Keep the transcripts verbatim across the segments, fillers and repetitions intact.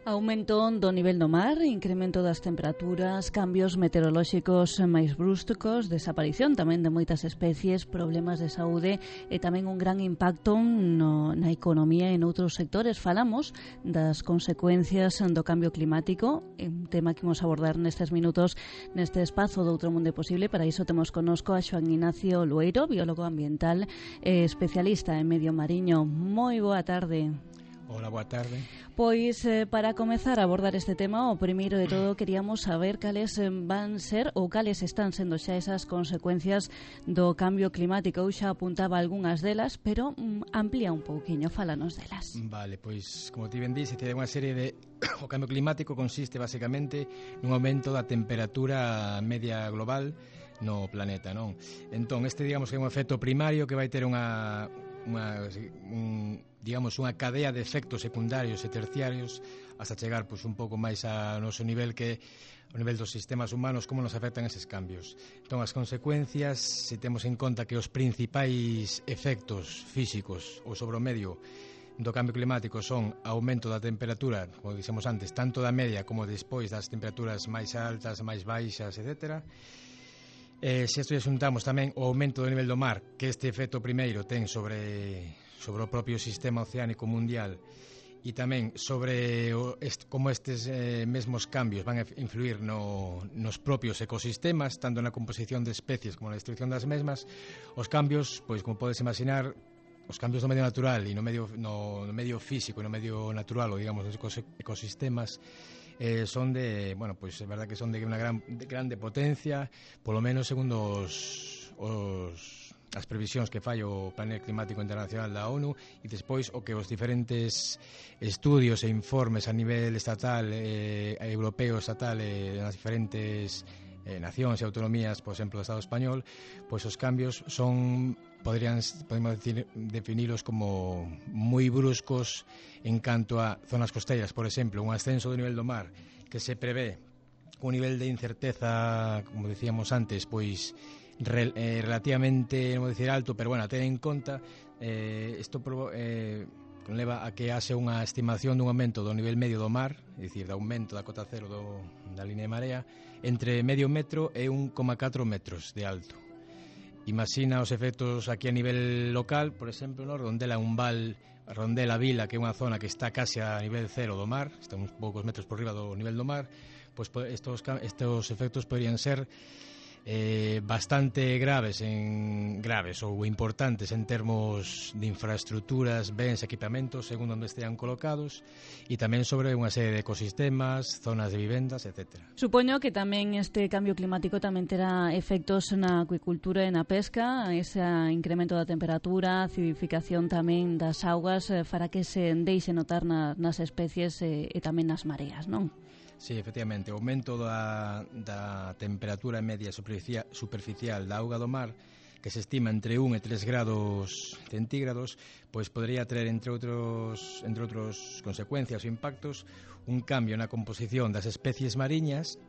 Aumento do nivel do mar, incremento das temperaturas, cambios meteorolóxicos máis bruscos, desaparición tamén de moitas especies, problemas de saúde e tamén un gran impacto no, na economía e noutros sectores. Falamos das consecuencias do cambio climático, un tema que imos abordar nestes minutos neste espazo do Outro Mundo Posible. Para iso temos connosco a Xoán Ignacio Lueiro, biólogo ambiental e especialista en medio mariño. Moi boa tarde. Hola, boa tarde. Pois, eh, para comezar a abordar este tema, o primeiro de todo queríamos saber cales van ser ou cales están sendo xa esas consecuencias do cambio climático. Eu xa apuntaba algunhas delas, pero mm, amplía un pouquiño, fálanos delas. Vale, pois, como ti ben dís, é unha serie de... O cambio climático consiste, basicamente, nun aumento da temperatura media global no planeta, non? Entón, este, digamos, que é un efecto primario que vai ter unha... Unha, un, digamos, unha cadea de efectos secundarios e terciarios hasta chegar pois, un pouco máis ao noso nivel, que o nivel dos sistemas humanos, como nos afectan eses cambios. Entón, as consecuencias, se temos en conta que os principais efectos físicos ou sobre o medio do cambio climático son aumento da temperatura, como dixemos antes, tanto da media como despois das temperaturas máis altas, máis baixas, etcétera. Eh, se isto xuntamos tamén o aumento do nivel do mar, que este efecto primeiro ten sobre, sobre o propio sistema oceánico mundial, e tamén sobre o, est, como estes eh, mesmos cambios van a influir no, nos propios ecosistemas, tanto na composición de especies como na destrucción das mesmas. Os cambios, pois como podes imaginar, os cambios no medio natural e no medio, no, no medio físico e no medio natural, ou digamos, nos ecosistemas, Eh, son de, bueno, pois pues, é verdad que son de unha gran, de grande potencia, polo menos segundo os, os, as previsións que fai o Panel Climático Internacional da ONU, e despois o que os diferentes estudios e informes a nivel estatal, eh, europeo, estatal, e eh, nas diferentes eh, nacións e autonomías, por exemplo, do Estado español, pois os cambios son, podrían, podemos decir, definilos como moi bruscos en canto a zonas costeiras, por exemplo, un ascenso do nivel do mar que se prevé un nivel de incerteza, como decíamos antes, pois rel, eh, relativamente, non vou dicir alto, pero bueno, a ter en conta, eh, isto eh, leva a que hace unha estimación dun aumento do nivel medio do mar, é dicir, de aumento da cota cero do, da línea de marea, entre medio metro e un coma catro metros de alto. Imagina os efectos aquí a nivel local, por exemplo, no Rondela, un val, Rondela Vila, que é unha zona que está case a nivel cero do mar, está uns poucos metros por riba do nivel do mar, pois estos, estos efectos podrían ser eh, bastante graves en graves ou importantes en termos de infraestructuras, bens, equipamentos, según onde estean colocados, e tamén sobre unha serie de ecosistemas, zonas de vivendas, etcétera. Supoño que tamén este cambio climático tamén terá efectos na acuicultura e na pesca, ese incremento da temperatura, acidificación tamén das augas, para que se deixe notar na, nas especies e, e tamén nas mareas, non? Sí, efectivamente, o aumento da, da temperatura media superficial, superficial da auga do mar, que se estima entre un e tres grados centígrados, pois podría traer, entre outros, entre outros consecuencias ou impactos, un cambio na composición das especies mariñas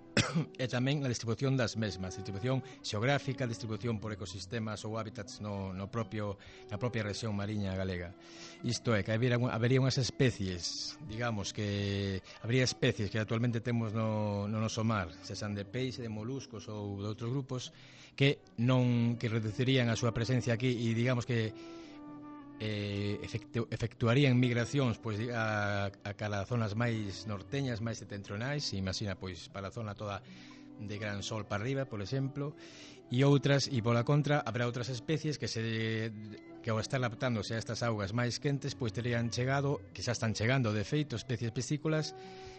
e tamén na distribución das mesmas, distribución xeográfica, distribución por ecosistemas ou hábitats no, no propio, na propia rexión mariña galega. Isto é, que habería, habería unhas especies, digamos que habría especies que actualmente temos no, no noso mar, se san de peixe, de moluscos ou de outros grupos, que non que reducirían a súa presencia aquí e digamos que eh, efectu, efectuarían migracións pois a, a cara a zonas máis norteñas, máis setentrionais, imagina pois para a zona toda de Gran Sol para arriba, por exemplo, e outras, e pola contra habrá outras especies que se que ao estar adaptándose a estas augas máis quentes, pois terían chegado, que xa están chegando de feito, especies piscícolas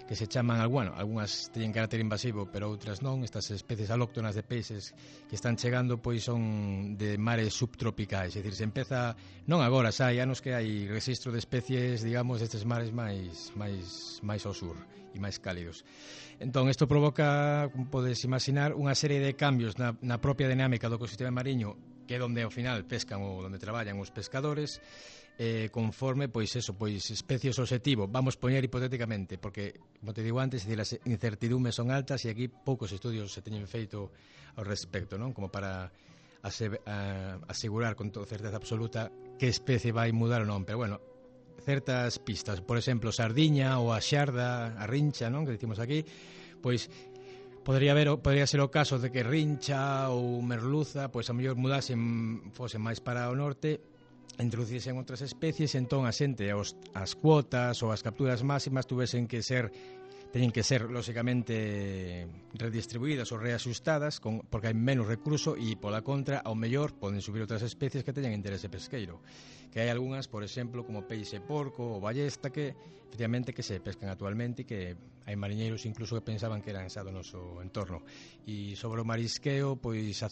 que se chaman, bueno, algunhas teñen carácter invasivo, pero outras non. Estas especies alóctonas de peixes que están chegando pois son de mares subtropicais, é dicir, se empeza, non agora, xa hai anos que hai registro de especies, digamos, destes mares máis máis máis ao sur e máis cálidos. Entón, isto provoca, como podes imaginar, unha serie de cambios na, na propia dinámica do ecosistema mariño, que é onde ao final pescan ou onde traballan os pescadores, eh, conforme, pois eso, pois especies objetivo, vamos poñer hipotéticamente, porque, como te digo antes, as incertidumes son altas e aquí poucos estudios se teñen feito ao respecto, non? Como para ase, a, asegurar con toda certeza absoluta que especie vai mudar ou non, pero bueno, certas pistas, por exemplo, sardiña ou a xarda, a rincha, non? Que dicimos aquí, pois podría haber, podría ser o caso de que rincha ou merluza, pois a mellor mudasen, fosen máis para o norte, introducisen outras especies, entón a xente os, as cuotas ou as capturas máximas tuvesen que ser teñen que ser, lóxicamente, redistribuídas ou reaxustadas con, porque hai menos recurso e, pola contra, ao mellor poden subir outras especies que teñan interese pesqueiro, que hai algunhas, por exemplo, como peixe porco ou ballesta que, efectivamente, que se pescan actualmente e que hai mariñeiros incluso que pensaban que eran xa do noso entorno. E sobre o marisqueo, pois a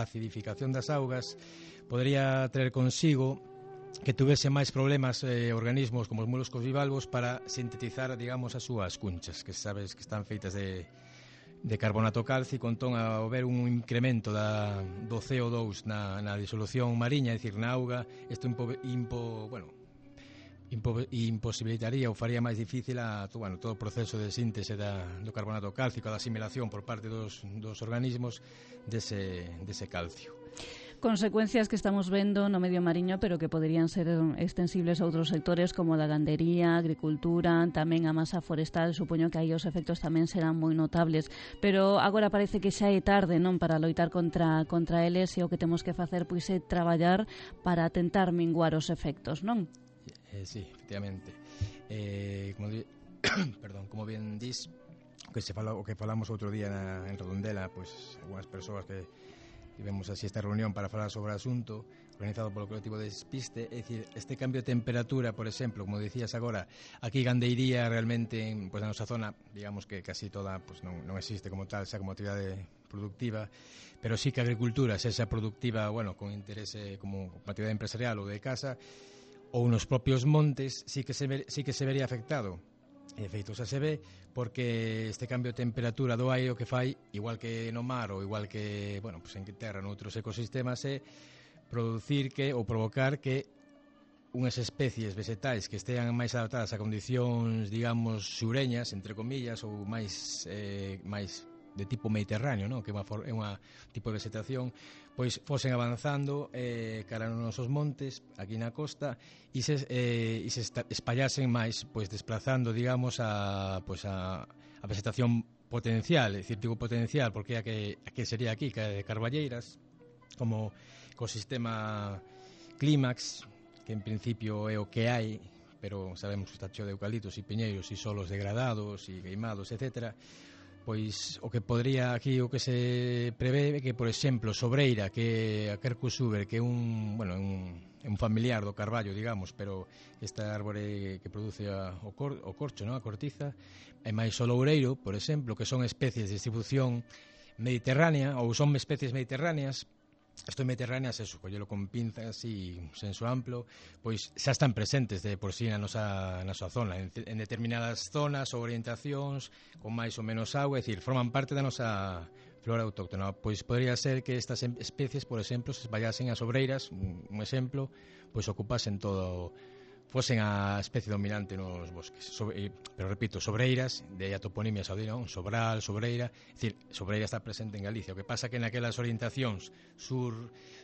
acidificación das augas podría traer consigo que tuvese máis problemas eh, organismos como os moluscos bivalvos para sintetizar, digamos, as súas cunchas, que sabes que están feitas de, de carbonato cálcico, entón ao haber un incremento da, do C O dous na, na disolución mariña, é dicir, na auga, isto impo, impo, bueno, impo, imposibilitaría ou faría máis difícil a, bueno, todo o proceso de síntese da, do carbonato cálcico, da asimilación por parte dos, dos organismos dese, dese calcio. Consecuencias que estamos vendo no medio mariño, pero que poderían ser extensibles a outros sectores como a da gandería, agricultura, tamén a masa forestal. Supoño que aí os efectos tamén serán moi notables, pero agora parece que xa é tarde, non, para loitar contra contra eles, e o que temos que facer pois é traballar para tentar minguar os efectos, non? Eh, sí, efectivamente. Eh, como di... Perdón, como bien dis, que se fala, o que falamos outro día na, en Redondela, pois algunhas persoas que tivemos así esta reunión para falar sobre o asunto organizado polo colectivo de Despiste, é dicir, este cambio de temperatura, por exemplo, como dicías agora, aquí gandeiría realmente, pois na nosa zona, digamos que casi toda pois non, non existe como tal, xa como actividade productiva, pero sí que a agricultura, xa xa productiva, bueno, con interese como actividade empresarial ou de casa, ou nos propios montes, sí que se, ver, sí que se vería afectado. E de feito, xa se ve, porque este cambio de temperatura do aire o que fai, igual que no mar ou igual que, bueno, pues en terra, noutros ecosistemas, é producir que, ou provocar que unhas especies vegetais que estean máis adaptadas a condicións, digamos, xureñas, entre comillas, ou máis, eh, máis de tipo mediterráneo, ¿no? Que é unha, é unha tipo de vegetación, pois fosen avanzando eh, cara nos nosos montes, aquí na costa, e se, eh, e se espallasen máis, pois desplazando, digamos, a, pois a, a vegetación potencial, é dicir, digo potencial, porque a que, a que sería aquí, que é de Carballeiras, como ecosistema clímax, que en principio é o que hai, pero sabemos que está cheo de eucaliptos e piñeiros e solos degradados e queimados, etcétera. Pois o que podría aquí, o que se prevé que, por exemplo, Sobreira, que a Quercus uber, que é un, bueno, un, un familiar do carballo, digamos, pero esta árbore que produce a, o, cor, o corcho, ¿no? A cortiza, e máis o loureiro, por exemplo, que son especies de distribución mediterránea, ou son especies mediterráneas. Isto mediterráneas, eso, collelo con pinzas e senso amplo, pois xa están presentes de por sí na nosa, na nosa zona, en, en determinadas zonas ou orientacións, con máis ou menos auga, é dicir, forman parte da nosa flora autóctona. Pois podría ser que estas especies, por exemplo, se espallasen as obreiras, un, un exemplo, pois ocupasen todo, fosen a especie dominante nos bosques. Sobre, pero repito, sobreiras, de a toponimia saudina, Sobral, Sobreira, é dicir, Sobreira está presente en Galicia. O que pasa que naquelas orientacións sur,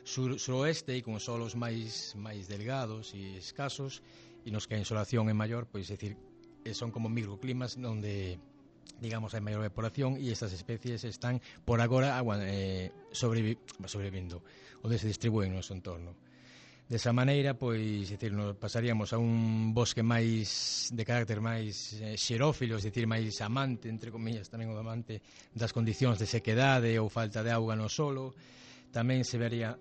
sur, suroeste e con solos máis máis delgados e escasos, e nos que a insolación é maior, pois é dicir, son como microclimas onde, digamos, hai maior evaporación e estas especies están por agora eh, sobrevi, sobrevivindo, onde se distribúen no noso entorno. Desa maneira, pois, decir, nos pasaríamos a un bosque máis de carácter máis eh, xerófilo, é dicir, máis amante, entre comillas, tamén o amante das condicións de sequedade ou falta de auga no solo. Tamén se vería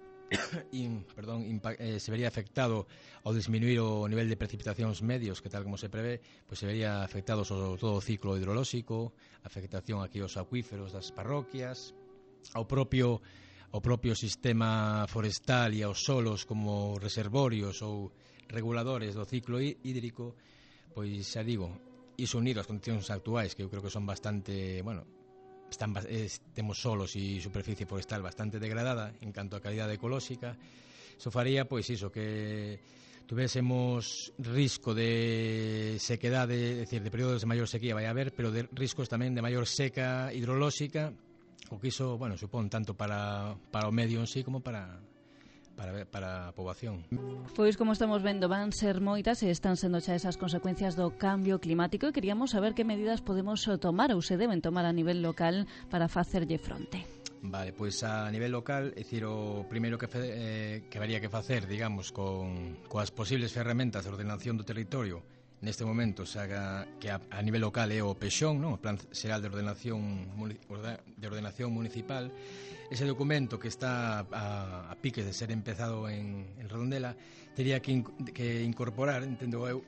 in, perdón, impa, eh, se vería afectado ao disminuir o nivel de precipitacións medios, que tal como se prevé, pois se vería afectado sobre todo o ciclo hidrolóxico, afectación aquí aos acuíferos das parroquias, ao propio o propio sistema forestal e aos solos como reservorios ou reguladores do ciclo hídrico, pois xa digo, iso unido ás condicións actuais, que eu creo que son bastante, bueno, están, eh, temos solos e superficie forestal bastante degradada en canto a calidade ecolóxica, iso faría, pois iso, que tuvésemos risco de sequedade, é dicir, de períodos de maior sequía vai haber, pero de riscos tamén de maior seca hidrolóxica, o que iso, bueno, supón tanto para, para o medio en sí como para, para, para a poboación. Pois, como estamos vendo, van ser moitas e están sendo xa esas consecuencias do cambio climático e queríamos saber que medidas podemos tomar ou se deben tomar a nivel local para facerlle fronte. Vale, pois a nivel local, é dicir, o primeiro que, fe, eh, que habería que facer, digamos, con, coas posibles ferramentas de ordenación do territorio neste momento, xa que a, a nivel local é o PEXON, non? O Plan Xeral de Ordenación de Ordenación Municipal. Ese documento que está a, a piques de ser empezado en, en Redondela tería que, in, que incorporar, entendo eu,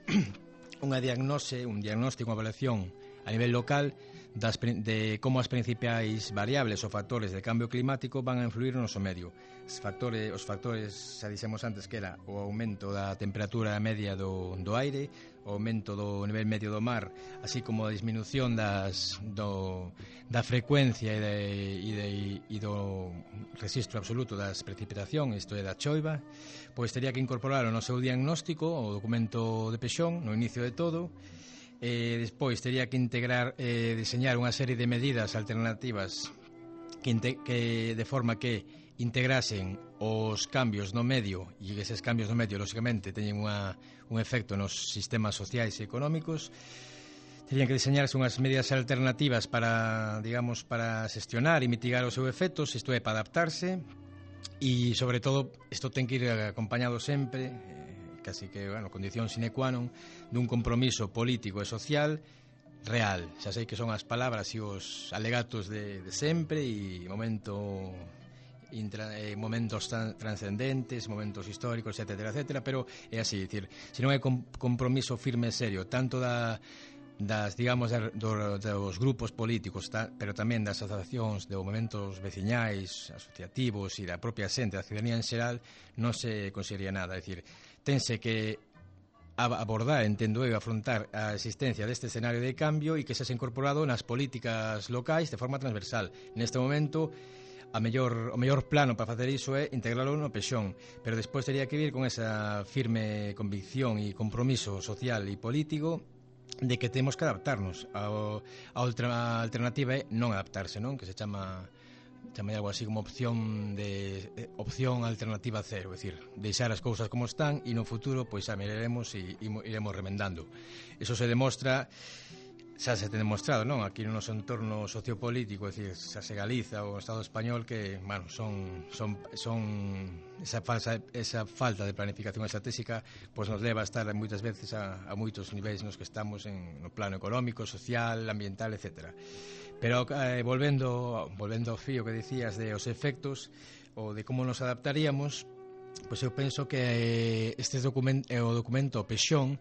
unha diagnose, un diagnóstico, unha evaluación a nivel local das, de como as principais variables ou factores de cambio climático van a influir no noso medio. Os factores, os factores, xa dixemos antes que era o aumento da temperatura media do, do aire, o aumento do nivel medio do mar, así como a disminución das, do, da frecuencia e, de, e, de, e do registro absoluto das precipitacións, isto é da choiva, pois teria que incorporar no seu diagnóstico o documento de PEXON no inicio de todo. Eh, despois teria que integrar, eh, diseñar unha serie de medidas alternativas que, que de forma que integrasen os cambios no medio e eses cambios no medio, lógicamente, teñen unha, un efecto nos sistemas sociais e económicos. Terían que diseñarse unhas medidas alternativas para, digamos, para xestionar e mitigar os seus efectos, isto é, para adaptarse, e, sobre todo, isto ten que ir acompañado sempre, eh, casi que, bueno, condición sine qua non, dun compromiso político e social real. Xa sei que son as palabras e os alegatos de, de sempre e momento... Intra, eh, momentos tan, transcendentes, momentos históricos, etcétera, etcétera, pero é así, dicir, se non hai com, compromiso firme e serio, tanto da, das, digamos, da, do, dos grupos políticos, ta, pero tamén das asociacións, de momentos veciñais, asociativos e da propia xente, da ciudadanía en xeral, non se conseguiría nada, é dicir, tense que abordar, entendo eu, afrontar a existencia deste escenario de cambio e que se ha incorporado nas políticas locais de forma transversal. Neste momento, a mellor, o mellor plano para facer iso é integralo no PEXON, pero despois teria que vir con esa firme convicción e compromiso social e político de que temos que adaptarnos. A, a outra alternativa é non adaptarse, non? Que se chama chama algo así como opción de eh, opción alternativa cero, é dicir, deixar as cousas como están e no futuro pois xa miraremos e, e iremos remendando. Eso se demostra, xa se ten demostrado, non? Aquí no noso entorno sociopolítico, é dicir, xa se Galiza ou o Estado español que, bueno, son son son esa falsa esa falta de planificación estratégica, pois nos leva a estar moitas veces a, a moitos niveis nos que estamos en no plano económico, social, ambiental, etcétera. Pero eh, volvendo volvendo ao fío que dicías de os efectos ou de como nos adaptaríamos, pois eu penso que este documento, o documento PEXON,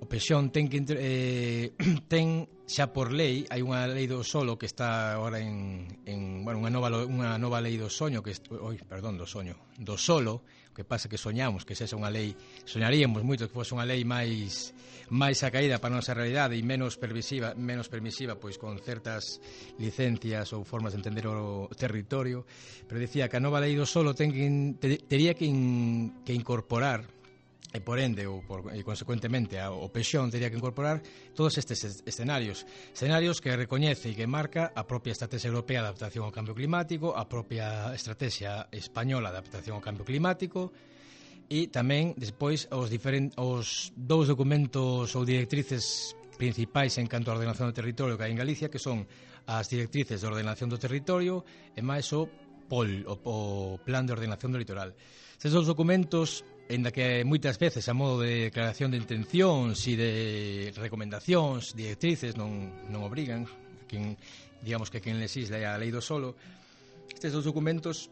o PEXON ten que eh, ten xa por lei, hai unha lei do solo que está agora en, en bueno, unha nova unha nova lei do soño que oi, perdón, do soño, do solo, o que pasa que soñamos que sexa unha lei, soñaríamos moito que fose unha lei máis máis acaída para a nosa realidade e menos permisiva, menos permisiva pois con certas licencias ou formas de entender o territorio, pero dicía que a nova lei do solo ten que ter, tería que, in, que incorporar e por ende, ou por, e consecuentemente o PEXON teria que incorporar todos estes escenarios escenarios que recoñece e que marca a propia Estrategia Europea de Adaptación ao Cambio Climático, a propia Estrategia Española de Adaptación ao Cambio Climático e tamén despois os, diferent, os dous documentos ou directrices principais en canto a ordenación do territorio que hai en Galicia, que son as directrices de ordenación do territorio e máis o P O L, o, o Plan de Ordenación do Litoral. Estes dous documentos, en da que moitas veces a modo de declaración de intencións e de recomendacións, directrices non, non obrigan quen, digamos que quen legisla a lei do solo, estes dous documentos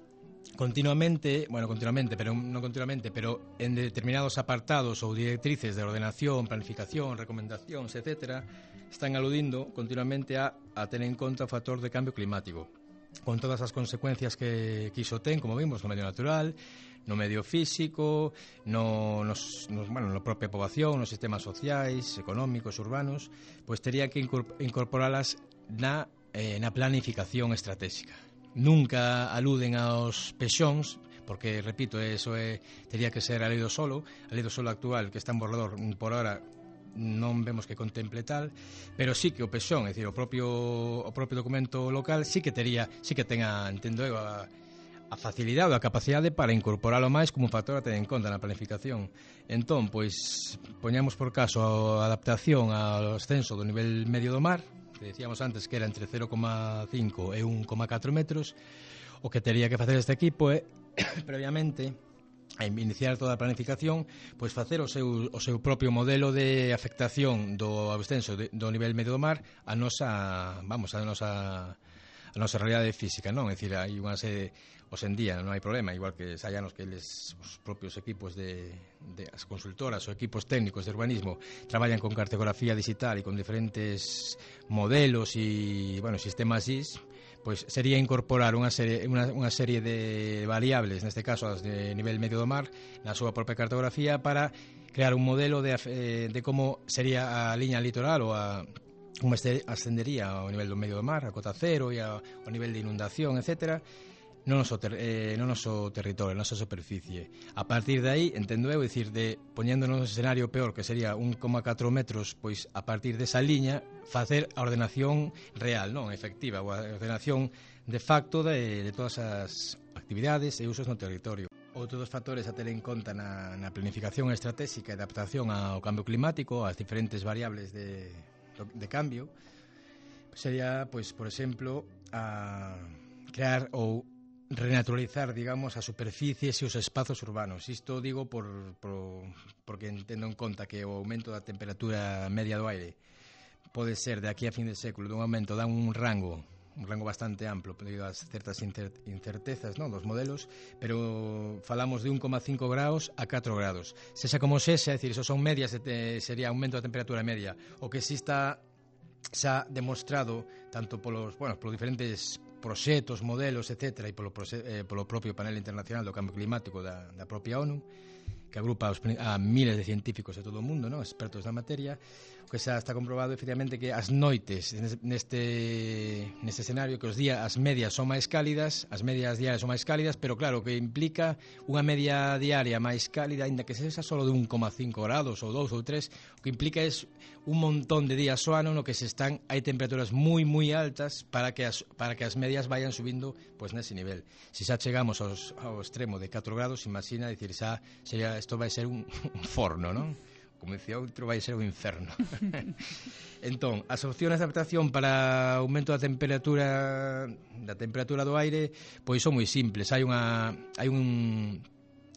continuamente, bueno, continuamente, pero non continuamente, pero en determinados apartados ou directrices de ordenación, planificación, recomendacións, etcétera, están aludindo continuamente a, a tener en conta o factor de cambio climático, con todas as consecuencias que, que iso ten, como vimos, no medio natural, no medio físico, no, nos, nos, bueno, na propia poboación, nos sistemas sociais, económicos, urbanos, pois tería que incorporalas na, eh, na planificación estratégica. Nunca aluden aos PEXONs, porque, repito, eso é, teria que ser a lei do solo, a lei do solo actual que está en borrador por ahora non vemos que contemple tal, pero sí que o P S O N, é dicir, o propio o propio documento local sí que tería, sí que tenga, entendo eu, a, a facilidade ou a capacidade para incorporalo máis como un factor a ter en conta na planificación. Entón, pois, poñamos por caso a adaptación ao ascenso do nivel medio do mar, que decíamos antes que era entre cero coma cinco e un coma catro metros. O que tería que facer este equipo é, previamente, a iniciar toda a planificación, pois facer o seu, o seu propio modelo de afectación do ascenso de, do nivel medio do mar a nosa, vamos, a nosa a nosa realidade física, non? É dicir, hai unha serie, os en día non hai problema, igual que hai anos que eles, os propios equipos de, de as consultoras ou equipos técnicos de urbanismo traballan con cartografía digital e con diferentes modelos e, bueno, sistemas I S, pois sería incorporar unha serie, unha, unha serie de variables, neste caso as de nivel medio do mar, na súa propia cartografía para crear un modelo de, de como sería a liña litoral ou a como ascendería ao nivel do medio do mar, a cota cero e ao nivel de inundación, etcétera, no noso, ter, eh, no noso territorio, na nosa superficie. A partir de aí, entendo eu, dicir, de poñendo no escenario peor, que sería un coma catro metros, pois a partir desa liña facer a ordenación real, non efectiva, ou a ordenación de facto de, de todas as actividades e usos no territorio. Outro dos factores a ter en conta na, na planificación estratégica e adaptación ao cambio climático, ás diferentes variables de, de cambio, sería, pois, por exemplo, a crear ou renaturalizar, digamos, as superficies e os espazos urbanos. Isto digo por, por, porque entendo en conta que o aumento da temperatura media do aire pode ser de aquí a fin de século dun aumento, dan un rango un rango bastante amplo debido a certas incertezas, non, dos modelos, pero falamos de un coma cinco graus a catro graus. Sexa como sexa, é dicir, eso son medias, de, sería aumento da temperatura media. O que si está xa demostrado tanto polos, bueno, polos diferentes proxectos, modelos, etcétera, e polo, eh, polo propio panel internacional do cambio climático da, da propia ONU, que agrupa aos, a miles de científicos de todo o mundo, non, expertos na materia, que xa está comprobado efectivamente que as noites neste neste escenario, que os días, as medias son máis cálidas, as medias diarias son máis cálidas, pero claro, que implica unha media diaria máis cálida, ainda que sexa solo de un coma cinco grados ou dous ou tres, o que implica é un montón de días ao ano no que se están, hai temperaturas moi moi altas para que as, para que as medias vayan subindo pois nese nivel. Se xa chegamos aos, ao extremo de catro grados, imagina, dicir, xa sería, isto vai ser un, un forno, non? Como dicía outro, vai ser un inferno. Entón, as opcións de adaptación para aumento da temperatura da temperatura do aire, pois son moi simples. Hai unha hai un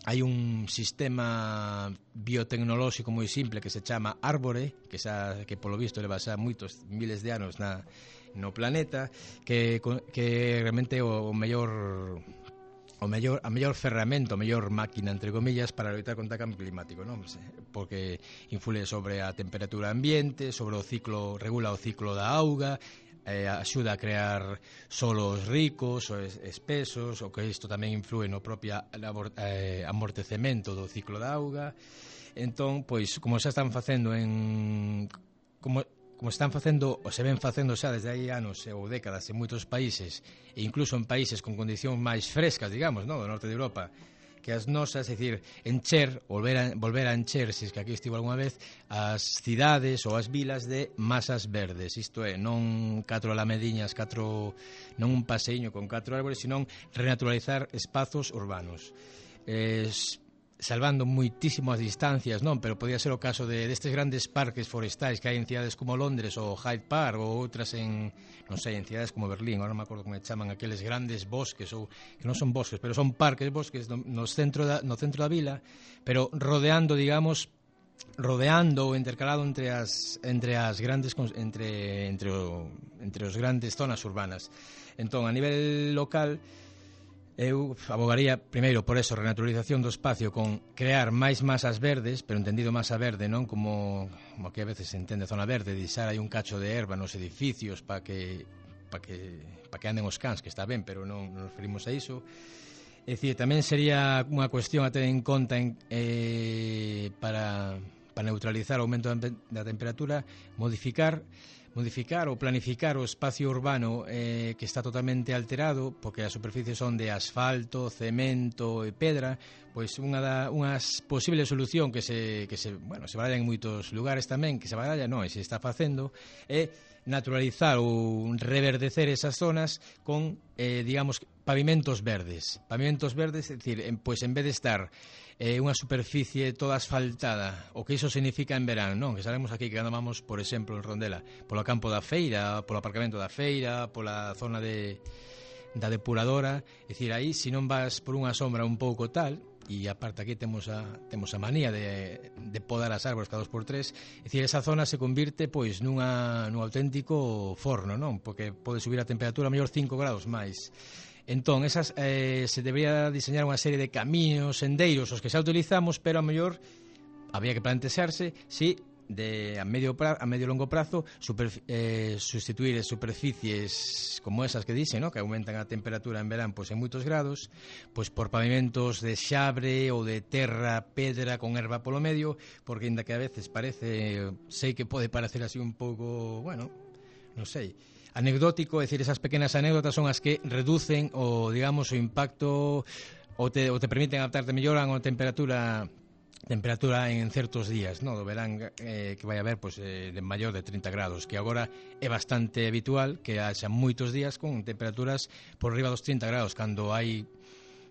hai un sistema biotecnolóxico moi simple que se chama Árbore, que xa que polo visto leva xa moitos miles de anos na no planeta, que que realmente o, o mellor o mellor, a mellor ferramenta, a mellor máquina, entre comillas, para loitar contra o cambio climático, non? Porque influe sobre a temperatura ambiente, sobre o ciclo, regula o ciclo da auga, eh, axuda a crear solos ricos ou espesos, o que isto tamén influe no propio eh, amortecemento do ciclo da auga. Entón, pois, como xa están facendo en... como como están facendo, ou se ven facendo xa desde hai anos ou décadas en moitos países, e incluso en países con condicións máis frescas, digamos, no, do norte de Europa, que as nosas, é dicir, encher, volver a, volver a encher, se es que aquí estivo alguna vez, as cidades ou as vilas de masas verdes, isto é, non catro alamediñas, catro, non un paseiño con catro árbores, senón renaturalizar espazos urbanos. Es... salvando moitísimo as distancias, non, pero podía ser o caso de destes grandes parques forestais que hai en cidades como Londres ou Hyde Park ou outras en, non sei, en cidades como Berlín, agora non me acordo como chaman aqueles grandes bosques, ou que non son bosques, pero son parques, bosques no, no centro da, no centro da vila, pero rodeando, digamos, rodeando ou intercalado entre as entre as grandes entre entre o, entre os grandes zonas urbanas. Entón, a nivel local, eu abogaría primeiro por eso, renaturalización do espacio con crear máis masas verdes, pero entendido masa verde, non como, como que a veces se entende zona verde, deixar aí un cacho de herba nos edificios para que para que para que anden os cans, que está ben, pero non nos referimos a iso. É dicir, tamén sería unha cuestión a ter en conta en, eh, para para neutralizar o aumento da temperatura, modificar modificar ou planificar o espacio urbano eh, que está totalmente alterado, porque as superficies son de asfalto, cemento e pedra, pois unha da, unhas posible solución que se, que se, bueno, se baralla en moitos lugares tamén, que se baralla, non, e se está facendo, é naturalizar ou reverdecer esas zonas con, eh, digamos, pavimentos verdes. Pavimentos verdes, é dicir, en, pois en vez de estar eh, unha superficie toda asfaltada, o que iso significa en verán, non? Que sabemos aquí que andamos, por exemplo, en Rondela, polo campo da feira, polo aparcamento da feira, pola zona de da depuradora, é dicir, aí, se non vas por unha sombra un pouco tal, e aparte aquí temos a, temos a manía de, de podar as árbores cada dos por tres, é dicir, esa zona se convirte pois nunha, nun auténtico forno, non? Porque pode subir a temperatura a mellor cinco grados máis. Entón, esas, eh, se debería diseñar unha serie de camiños, sendeiros, os que xa utilizamos, pero a mellor había que plantearse si de a medio pra, a medio longo prazo super, eh, sustituir superficies como esas que dicen, ¿no? Que aumentan a temperatura en verán pois en moitos grados, pois por pavimentos de xabre ou de terra, pedra con erva polo medio, porque ainda que a veces parece, sei que pode parecer así un pouco, bueno, non sei, anecdótico, é dicir, esas pequenas anécdotas son as que reducen o, digamos, o impacto ou te, ou te permiten adaptarte mellor a unha temperatura temperatura en certos días, no, do verán eh, que vai haber pois, eh, de maior de trinta grados, que agora é bastante habitual que haxa moitos días con temperaturas por riba dos trinta grados, cando hai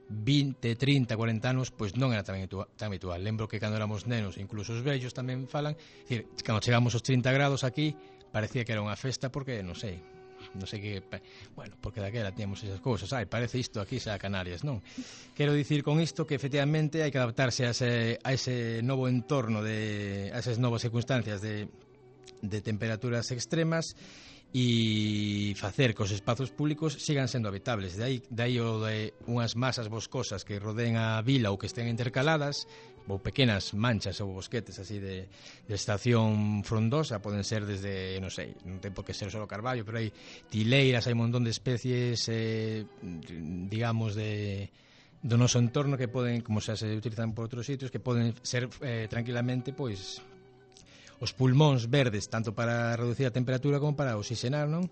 vinte, trinta, cuarenta anos, pois non era tan habitual. Lembro que cando éramos nenos, incluso os vellos tamén falan, dicir, cando chegamos aos trinta grados aquí, parecía que era unha festa porque, non sei, non sei que, bueno, porque daquela temos esas cousas, ai, parece isto aquí xa a Canarias, non? Quero dicir con isto que efectivamente hai que adaptarse a ese, a ese novo entorno, de, a esas novas circunstancias de, de temperaturas extremas e facer que os espazos públicos sigan sendo habitables. De aí, de aí o de unhas masas boscosas que rodeen a vila ou que estén intercaladas, ou pequenas manchas ou bosquetes así de, de estación frondosa, poden ser desde, non sei, non ten por que ser só carballo, pero hai tileiras, hai un montón de especies eh, digamos de do noso entorno que poden, como xa se utilizan por outros sitios, que poden ser eh, tranquilamente pois os pulmóns verdes, tanto para reducir a temperatura como para oxigenar, non?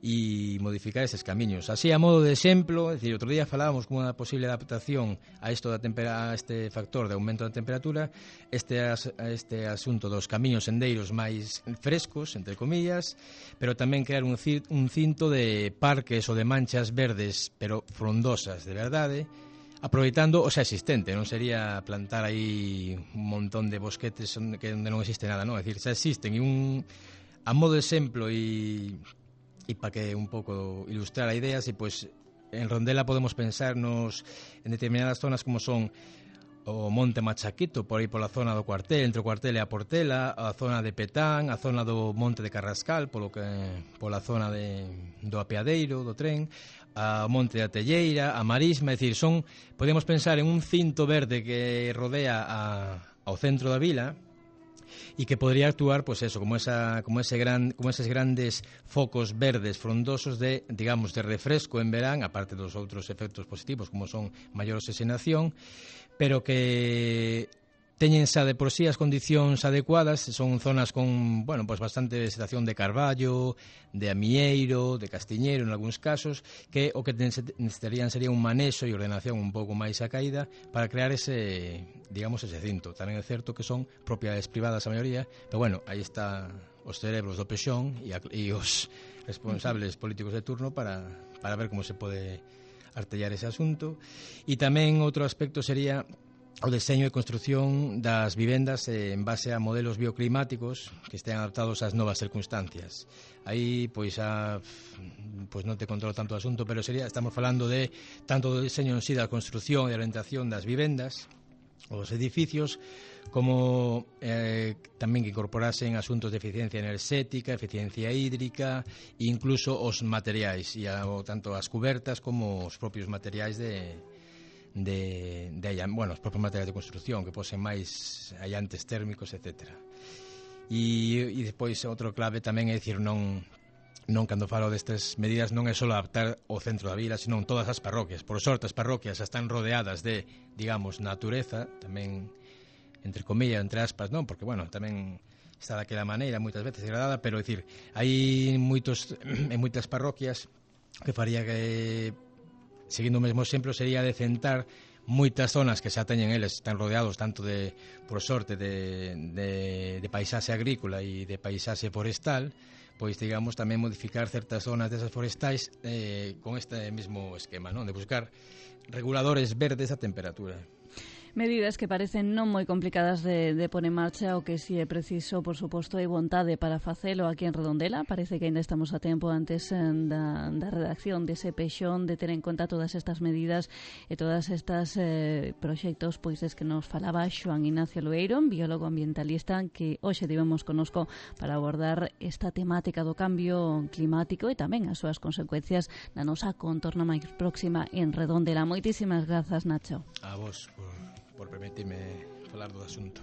E modificar estes camiños. Así, a modo de exemplo, é dicir, outro día falábamos como unha posible adaptación a isto da tempera, a este factor de aumento da temperatura, este, as, este asunto dos camiños sendeiros máis frescos, entre comillas, pero tamén crear un, un cinto de parques ou de manchas verdes, pero frondosas, de verdade, aproveitando o xa existente, non sería plantar aí un montón de bosquetes onde, onde non existe nada, non? É dicir, xa existen e un, a modo de exemplo e, e para que un pouco ilustrar a idea, si pois en Rondela podemos pensarnos en determinadas zonas como son o Monte Machaquito, por aí pola zona do cuartel, entre o cuartel e a Portela, a zona de Petán, a zona do Monte de Carrascal, polo que, pola zona de, do apeadeiro, do tren, a Monte da Telleira, a Marisma, é dicir, son, podemos pensar en un cinto verde que rodea a, ao centro da vila e que podría actuar, pois eso, como esa como ese gran como eses grandes focos verdes frondosos de, digamos, de refresco en verán, aparte dos outros efectos positivos como son maior oxigenación, pero que teñen xa de por sí as condicións adecuadas, son zonas con, bueno, pues bastante vegetación de carballo, de amieiro, de castiñeiro en algúns casos, que o que necesitarían sería un manexo e ordenación un pouco máis a caída para crear ese, digamos, ese cinto. Tamén é certo que son propiedades privadas a maioría, pero bueno, aí está os cerebros do pexón e, a, e os responsables políticos de turno para, para ver como se pode artellar ese asunto. E tamén outro aspecto sería o deseño e construción das vivendas eh, en base a modelos bioclimáticos que estén adaptados ás novas circunstancias. Aí, pois, a, pois non te controlo tanto o asunto, pero sería, estamos falando de tanto do deseño en sí da construción e orientación das vivendas, os edificios, como eh, tamén que incorporasen asuntos de eficiencia enerxética, eficiencia hídrica e incluso os materiais, e a, o, tanto as cubertas como os propios materiais de de, de bueno, os propios materiais de construción que posen máis allantes térmicos, etcétera. E, e depois outro clave tamén é dicir, non non cando falo destas medidas non é só adaptar o centro da vila, sino todas as parroquias. Por sorte as parroquias están rodeadas de, digamos, natureza, tamén entre comillas, entre aspas, non, porque bueno, tamén está daquela maneira, moitas veces degradada, pero, é dicir, hai moitos, en moitas parroquias que faría que, seguindo o mesmo exemplo, sería decentar moitas zonas que xa teñen eles, están rodeados tanto de, por sorte, de, de, de paisaxe agrícola e de paisaxe forestal, pois, digamos, tamén modificar certas zonas desas forestais eh, con este mesmo esquema, non? De buscar reguladores verdes a temperatura. Medidas que parecen non moi complicadas de, de pôr en marcha, o que si é preciso, por suposto, hai vontade para facelo aquí en Redondela. Parece que ainda estamos a tempo antes da, da redacción dese pexón, de ter en conta todas estas medidas e todas estas eh, proxectos pois des que nos falaba Xoán Ignacio Loeiro, biólogo ambientalista, que hoxe tivemos conosco para abordar esta temática do cambio climático e tamén as súas consecuencias na nosa contorna máis próxima en Redondela. Moitísimas grazas, Nacho. A vos por por permitirme falar do asunto.